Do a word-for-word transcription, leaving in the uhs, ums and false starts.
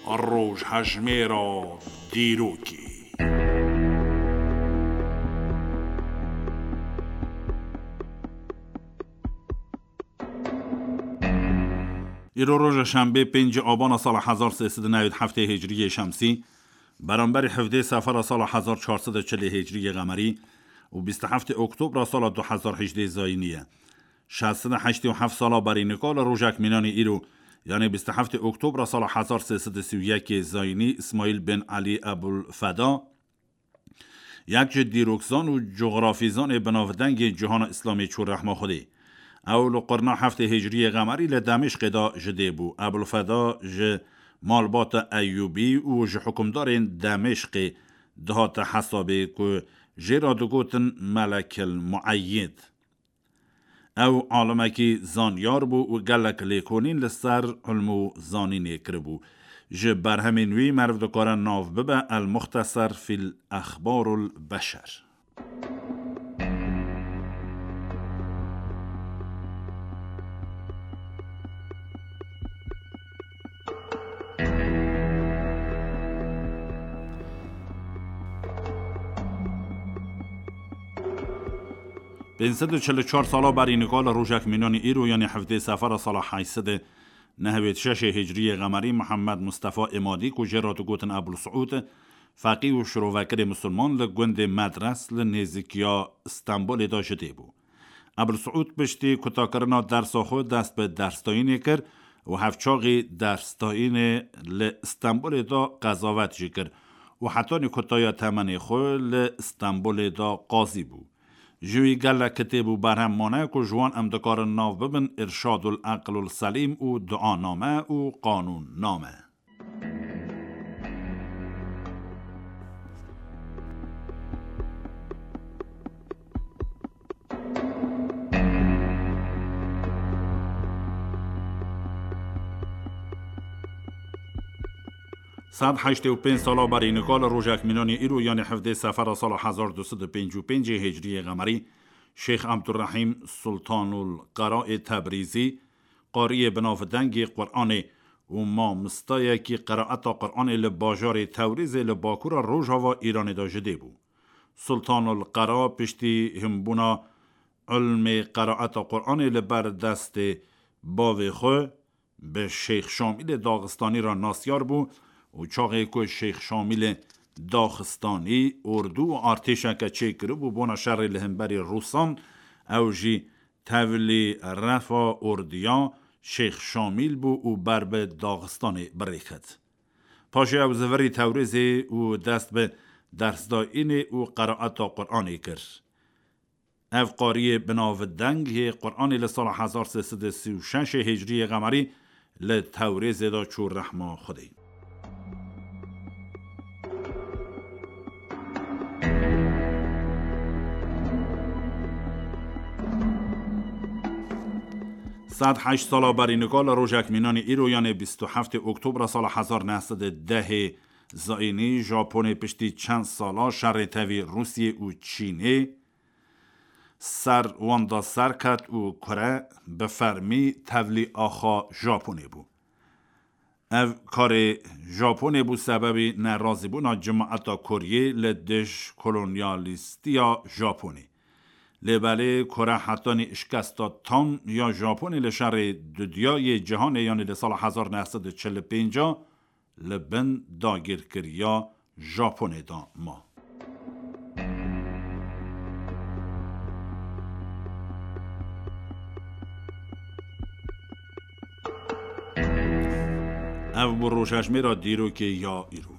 Rojhejmêra dîrokê. Îro roja şembê, pêncî abana sala hezar sê sed û newî heftê hicriyê şemsî, beramberî hevdê sefera sala hezar çar sed û çilê hicriyê qemerî û bîst û heftê oktobra sala du hezar hejdê zayînî ye. Şeş sed û heştê û heft sala berî nika li rojek mînanî îro, yanê bîst û heftê oktobra sala hezar sê sed û sî û yekê zayînî, Îsmaîl bin Elî Ebul Feda, yek ji dîrokzan û cografîzanê binavdengê cihana Îslamê çû rehma Xwedê. Ew li qurna heftê hicriyê qemerî li Demêşqê de ji dê bû. Ebul Feda ji malbata Eyûbî û ji hukimdarên Demêşqê dihate hesabê ku jê re digotin Melekil Mueyyid. Ew alimekî zanyar bû û gelek lêkolîn li ser ilm û zanînê kiribû. Ji berhemên wî meriv dikare nav bibe El Muxteser fîl Exbarul Beşer. Pênc sed û çil û çar sala berî nika li rojek mînanî îro, yanî hevdê sefera sala heşt sed û nehwêd şeşê hicriyê qemerî, Mihemed Mustefa Îmadî, ku jê re digotin Ebul Siûd, feqî û şirovekirê misilman, li gundê Medres li nêzîkiya Stenbolê de ji dê bû. Ebul Siûd piştî kutakirina dersa xwe dest bi dersdayînê kir û hevçaxî dersdayînê li Stenbolê de qezavet jî kir û hetanî kutaya temenê xwe li Stenbolê de qazî bû. Ji wî gelek kitêb û berhem mane ku ji wan em dikarin nav bibin Irşadul Eqlul Selîm û Duaname û Qanûnname. Sed heştê û pênc sala berî nika li rojek mînanî îro, yanî hevdê sefera sala hezar du sed û pêncî û pêncê hicriyê qemerî, Şêx Ebdurrehîm Sultanul Qera ê Tebrîzî, qariyê binavdengê Quranê û mamisteyekî qeraeta Quranê li bajarê Tewrêzê li bakura rojava Îranê de ji dê bû. Sultanul Qera piştî hinbûna ilmê qeraeta Quranê li ber destê bavê xwe, bi Şêx Şamîlê Daxistanî re nasyar bû û çaxê ku Şêx Şamîlê Daxistanî ordu û artêşeke çêkiribû bona şerê li hemberî Rûsan, ew jî tevlî refa ordiya Şêx Şamîl bû û ber bi Daxistanê birêxit. Paşê ew zivirî Tewrêzê û dest bi dersdayînê û qeraeta Quranê kir. Ev qariyê binavdeng yê Quranê li sala hezar sê sed û sî û şeşê hicriyê qemerî li Tewrêzê de çû rehma Xwedê. Sed heşt sala berî nika li rojek mînanî îro, yanê bîst û heftê Oktobra sala hezar neh sed û dehê zayînî, Japonê piştî çend sala şerê tevî Rûsiyê û Çînê ser wan de serket û kure bi fermî tevlî axa Japonê bû. Ev karê Japonê bû sebebî nerazîbûna cimaeta Koryê li dij kolonyalîstiya Japonê. Lê belê Kore hetanî şikesta tam ya Japonê li şerê dudiyayê cîhanê, yanî li sala hezar neh sed û çil û pênc li bin dagirkeriya Japonê de ma. Ev bû rojhejmêra dîrokê ya îro.